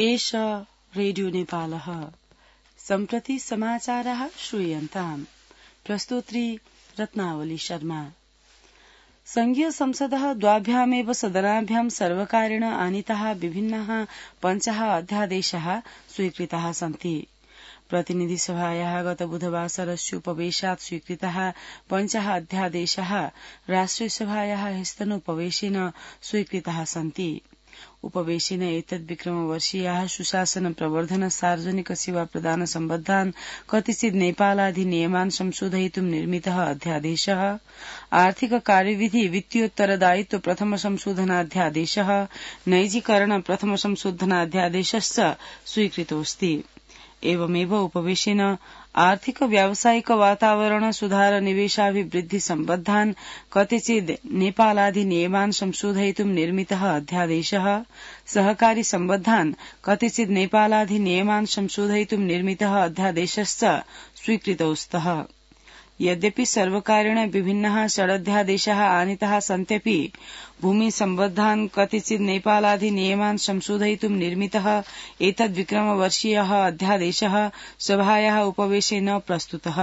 एष रेडियो नेपालः। सम्प्रति समाचारः श्रूयन्ताम्। प्रस्तोत्री रत्नावली शर्मा। संघीय संसदः द्वाभ्यामेव सदनाभ्यां सर्वकारेण आनीताः विभिन्नाः पञ्चः अध्यादेशाः स्वीकृताः सन्ति। प्रतिनिधिसभायाः गत बुधवासरस्य उपवेशात् स्वीकृताः पञ्चः अध्यादेशाः राष्ट्रियसभायाः ह्यस्तनोपवेशेन स्वीकृताः सन्ति। उपवेशेन एतद्विक्रमवर्षीयाः सुशासन प्रवर्धन सार्वजनिक सेवा प्रदान सम्बद्धान् कतिचित् नेपालाधिनियमान् संशोधयितुं निर्मितः अध्यादेशः, आर्थिक कार्यविधि वित्तीयोत्तरदायित्व प्रथम संशोधनाध्यादेशः, नैजीकरण प्रथम संशोधनाध्यादेशश्च स्वीकृतोऽस्ति। एवमेव उपवेशेन आर्थिक व्यावसायिक वातावरण सुधार निवेशाभिवृद्धि सम्बद्धान् कतिचित् नेपालाधिनियमान् संशोधयितुं निर्मितः अध्यादेशः, सहकारी सम्बद्धान् कतिचित् नेपालाधिनियमान् संशोधयितुं निर्मितः अध्यादेशश्च स्वीकृतौ स्तः। यद्यपि सर्वकारेण विभिन्नाः षडध्यादेशाः आनीताः सन्त्यपि भूमि सम्बद्धान् कतिचित् नेपालाधिनियमान् संशोधयितुं निर्मितः एतद्विक्रमवर्षीयः अध्यादेशः सभायाः उपवेशे न प्रस्तुतः।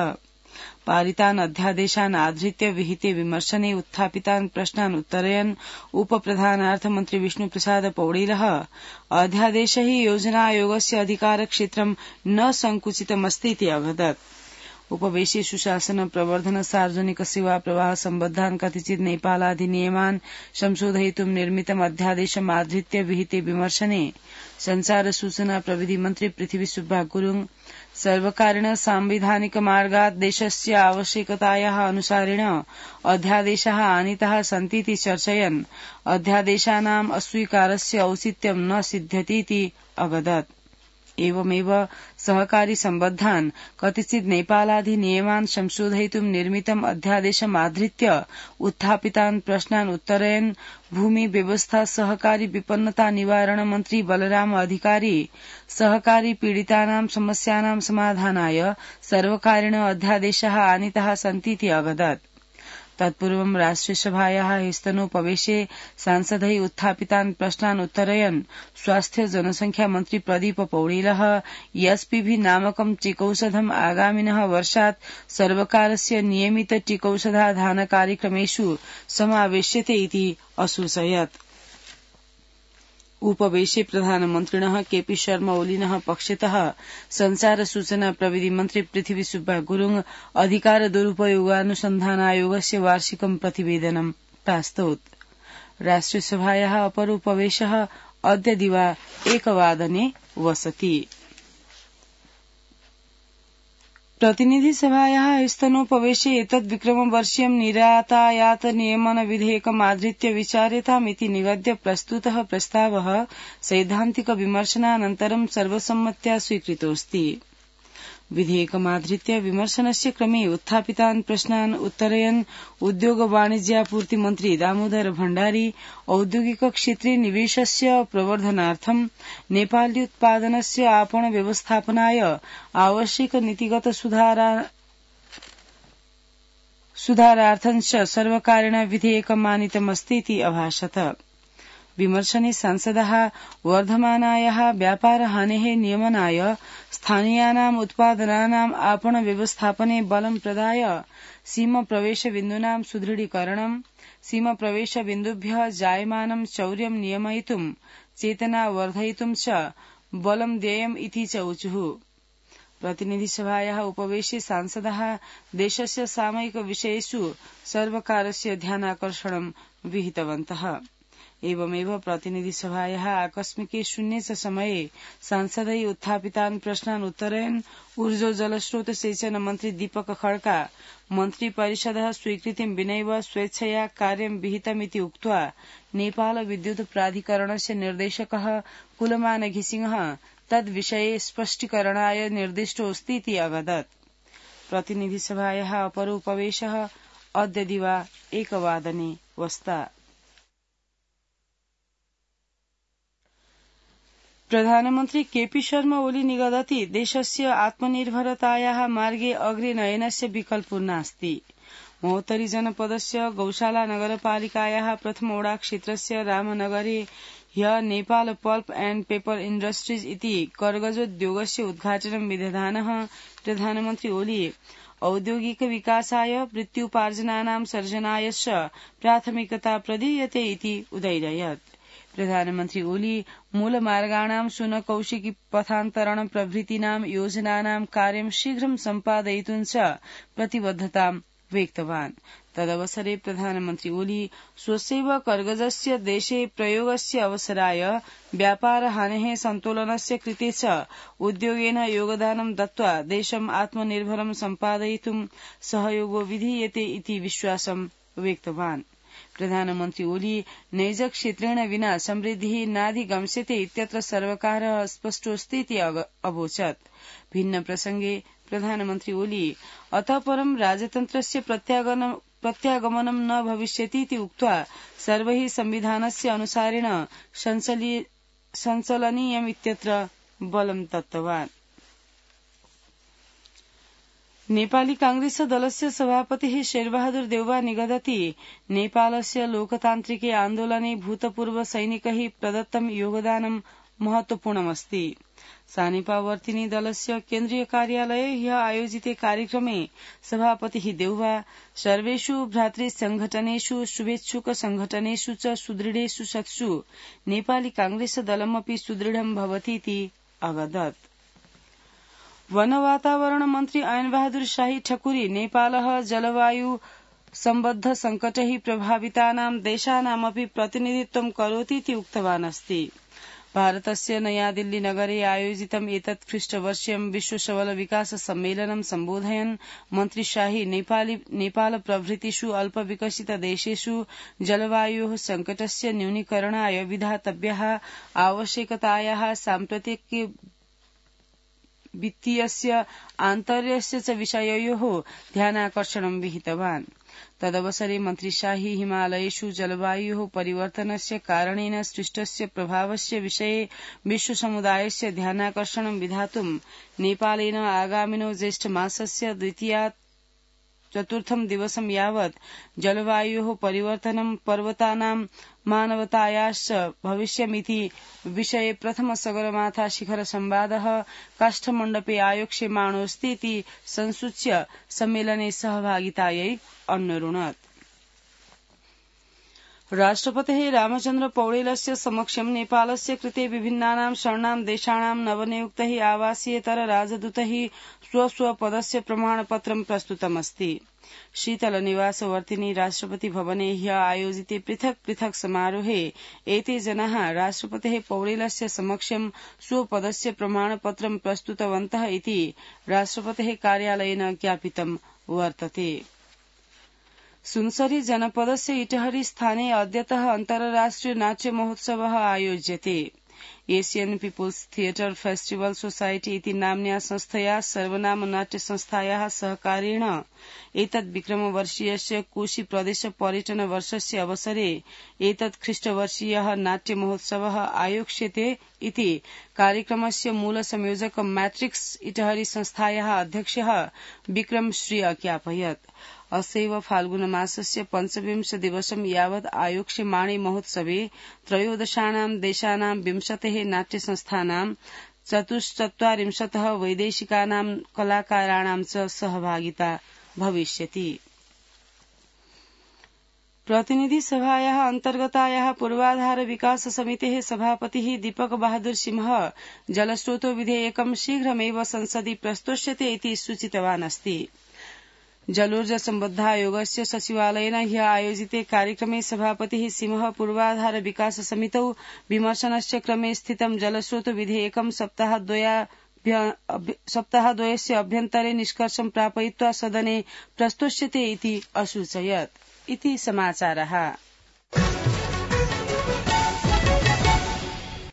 पारितान् अध्यादेशान् आधृत्य विहिते विमर्शने उत्थापितान् प्रश्नान् उत्तरयन् उपप्रधानार्थमन्त्री विष्णुप्रसाद पौडेलः अध्यादेश हि योजना आयोगस्य अधिकारक्षेत्रं न संकुचितमस्तीति अवदत्। उपवेशे सुशासन प्रवर्धन सार्वजनिक सेवा प्रवाह सम्बद्धान् कतिचित् नेपालाधिनियमान् संशोधयितुं निर्मितम् अध्यादेशमाधृत्य विहिते विमर्शने संचार सूचना प्रविधि मन्त्री पृथ्वी सुब्बा गुरुङ सर्वकारेण सांविधानिक मार्गात् देशस्य आवश्यकतायाः अनुसारेण अध्यादेशाः आनीताः सन्तीति चर्चयन् अध्यादेशानाम् अस्वीकारस्य औचित्यं न सिध्यतीति अवदत्। एवमेव सहकारी सम्बद्धान् कतिचित् नेपालाधिनियमान् संशोधयितुं निर्मितम् अध्यादेशमाधृत्य उत्थापितान् प्रश्नान् उत्तरयन् भूमि व्यवस्था सहकारी विपन्नता निवारण मन्त्री बलराम अधिकारी सहकारी पीडितानां समस्यानां समाधानाय सर्वकारेण अध्यादेशाः आनीताः सन्तीति अवदत्। तत्पूर्वं राष्ट्रियसभायाः ह्यस्तनोपवेशे सांसदैः उत्थापितान् प्रश्नान् उत्तरयन् स्वास्थ्य जनसंख्या मन्त्री प्रदीप पौडेलः एसपीभी नामकं टीकौषधम् आगामिनः वर्षात् सर्वकारस्य नियमित टीकौषधाधान कार्यक्रमेषु समावेश्यते इति असूचयत्। उपवेशे प्रधानमन्त्रिणः केपी शर्मा ओलीनः पक्षतः संचार सूचना प्रविधि मन्त्री पृथ्वी सुब्बा गुरुङ अधिकार दुरुपयोगानुसन्धानायोगस्य वार्षिकं प्रतिवेदनं प्रास्तौत्। राष्ट्रियसभायाः अपर उपवेशः अद्य दिवा 1:00 वसति। प्रतिनिधिसभायाः ह्यस्तनोपवेशे एतद्विक्रमवर्षीयं निरातायात नियमन विधेयकमाधृत्य विचार्यतामिति निगद्य प्रस्तुतः प्रस्तावः सैद्धान्तिक विमर्शनानन्तरं सर्वसम्मत्या स्वीकृतोऽस्ति। विधेयकमाधृत्य विमर्शनस्य क्रमे उत्थापितान् प्रश्नान् उत्तरयन् उद्योग वाणिज्यापूर्ति मन्त्री दामोदर भण्डारी औद्योगिक क्षेत्रे निवेशस्य प्रवर्धनार्थं नेपाल्युत्पादनस्य आपण व्यवस्थापनाय आवश्यक नीतिगत सुधारार्थञ्च सर्वकारेण विधेयकमानीतमस्तीति अभाषत। विमर्शने सांसदाः वर्धमानायाः व्यापारहानेः नियमनाय स्थानीयानाम् उत्पादनानाम् आपण व्यवस्थापने बलं प्रदाय सीमप्रवेशबिन्दूनां सुदृढीकरणं सीमप्रवेशबिन्दुभ्यः जायमानं चौर्यं नियमयितुं चेतना वर्धयितुं च बलं देयम् इति च ऊचुः। प्रतिनिधिसभायाः उपवेशे सांसदाः देशस्य सामयिक विषयेषु सर्वकारस्य ध्यानाकर्षणं विहितवन्तः। एवमेव प्रतिनिधिसभायाः आकस्मिके शून्ये च समये सांसदैः उत्थापितान् प्रश्नान् उत्तरयन् ऊर्जो जलस्रोत सेचन मन्त्री दीपक खड्का मन्त्री परिषदः स्वीकृतिं विनैव स्वेच्छया कार्यं विहितमिति उक्त्वा नेपाल विद्युत प्राधिकरणस्य निर्देशकः कुलमान घिसिङः तद्विषये स्पष्टीकरणाय निर्दिष्टोऽस्तीति अवदत्। प्रतिनिधिसभायाः अपर उपवेशः अद्य दिवा 1:00 वस्ता। प्रधानमन्त्री केपी शर्मा ओली निगदति देशस्य आत्मनिर्भरतायाः मार्गे अग्रे नयनस्य विकल्पो नास्ति। महोत्तरी जनपदस्य गौशाला नगरपालिकायाः प्रथम ओडा क्षेत्रस्य रामनगरे ह्य Nepal pulp and paper industries इति कर्गजोद्योगस्य उद्घाटनं विदधानः प्रधानमन्त्री ओली औद्योगिक विकासाय वृत्त्युपार्जनानां सर्जनाय च प्राथमिकता प्रदीयते इति उदययत्। प्रधानमन्त्री ओली मूलमार्गाणां सुनकौशिकी पथान्तरण प्रभृतीनां योजनानां कार्यं शीघ्रं सम्पादयितुं च प्रतिबद्धतां व्यक्तवान्। तदवसरे प्रधानमन्त्री ओली स्वस्यैव कर्गजस्य देशे प्रयोगस्य अवसराय व्यापार हानेः सन्तोलनस्य कृते च उद्योगेन योगदानं दत्त्वा देशम् आत्मनिर्भरं सम्पादयितुं सहयोगो विधीयते इति विश्वासं व्यक्तवान्। प्रधानमन्त्री ओली नैजक्षेत्रेण विना समृद्धिः नाधिगम्स्यते इत्यत्र सर्वकारः स्पष्टोऽस्ति इति अवोचत्। भिन्न प्रसंगे प्रधानमन्त्री ओली अतः परं राजतन्त्रस्य प्रत्यागमनं न भविष्यति इति उक्त्वा सर्वैः संविधानस्य अनुसारेण सञ्चलनीयम् इत्यत्र बलं दत्तवान्। नेपाली कांग्रेस दलस्य सभापतिः शेरबहादुर देउवा निगदति नेपालस्य लोकतान्त्रिके आन्दोलने भूतपूर्व सैनिकैः प्रदत्तं योगदानं महत्वपूर्णमस्ति। सानिपावर्तिनी दलस्य केन्द्रीय कार्यालये ह्य आयोजिते कार्यक्रमे सभापतिः देउवा सर्वेषु भ्रातृसंघटनेषु शुभेच्छुक संघटनेषु च सुदृढेषु सत्सु नेपाली कांग्रेस दलमपि सुदृढं भवतीति अवदत्। वन वातावरण मन्त्री ऐन बहादुर शाही ठकुरी नेपालः जलवायु सम्बद्ध संकटैः प्रभावितानां देशानामपि प्रतिनिधित्वं करोति इति उक्तवान् अस्ति। भारतस्य नयादिल्ली नगरे आयोजितम् एतत् ख्रीष्टवर्षीयं विश्व सबल विकास सम्मेलनं सम्बोधयन् मन्त्री शाही नेपाल प्रभृतिषु अल्पविकसित देशेषु जलवायोः संकटस्य न्यूनीकरणाय विधातव्याः आवश्यकतायाः साम्प्रतिक वित्तीयस्य आन्तर्यस्य च विषययोः ध्यानाकर्षणं विहितवान्। तदवसरे मन्त्री शाही हिमालयेषु जलवायोः परिवर्तनस्य कारणेन सृष्टस्य प्रभावस्य विषये विश्वसमुदायस्य ध्यानाकर्षणं विधातुं नेपालेन आगामिनो ज्येष्ठमासस्य द्वितीयात् चतुर्थं दिवसं यावत् जलवायोः परिवर्तनं पर्वतानां मानवतायाश्च भविष्यमिति विषये प्रथम सगरमाथा शिखर संवादः काष्ठमण्डपे आयोक्ष्यमाणोऽस्ति इति संसूच्य सम्मेलने सहभागितायै अन्वरुणत्। राष्ट्रपतेः रामचन्द्र पौडेलस्य समक्षं नेपालस्य कृते विभिन्नानां शरणां देशानां नवनियुक्तैः आवासीयेतर राजदूतैः स्वस्वपदस्य प्रमाणपत्रं प्रस्तुतमस्ति। शीतलनिवासवर्तिनी राष्ट्रपति भवने ह्य आयोजिते पृथक् पृथक् समारोहे एते जनाः राष्ट्रपतेः पौडेलस्य समक्षं स्वपदस्य प्रमाणपत्रं प्रस्तुतवन्तः इति राष्ट्रपतेः कार्यालयेन ज्ञापितं वर्तते। सुनसरी जनपदस्य इटहरी स्थाने अद्यतः अन्तर्राष्ट्रिय नाट्य महोत्सवः आयोज्यते। Asian People's Theatre Festival Society इति नाम्न्या संस्थया सर्वनाम नाट्य संस्थायाः सहकारेण एतत् विक्रमवर्षीयस्य कोशी प्रदेश पर्यटन वर्षस्य अवसरे एतत् ख्रीष्टवर्षीयः नाट्य महोत्सवः आयोक्ष्यते इति कार्यक्रमस्य मूल संयोजक मैट्रिक्स इटहरी संस्थायाः अध्यक्षः विक्रम श्री अज्ञापयत्। अस्यैव फाल्गुनमासस्य 25 दिवसं यावत् आयोक्ष्यमाणे महोत्सवे त्रयोदशानां देशानां 20 नाट्यसंस्थानां 44 वैदेशिकानां कलाकाराणां च सहभागिता भविष्यति। प्रतिनिधि सभायाः अन्तर्गतायाः पूर्वाधार विकास समितेः सभापतिः दीपक बहादुर सिंह जलस्रोतो विधेयकं शीघ्रमेव संसदि प्रस्तोष्यते इति सूचितवान् अस्ति। जलोर्जा सम्बद्धायोगस्य सचिवालयेन ह्य आयोजिते कार्यक्रमे सभापतिः सिंह पूर्वाधार विकास समितौ विमर्शनस्य क्रमे स्थितं जलस्रोत विधेयकं सप्ताहद्वयस्य अभ्यन्तरे निष्कर्षं प्रापयित्वा सदने प्रस्तोष्यते इति असूचयत्। इति समाचारः।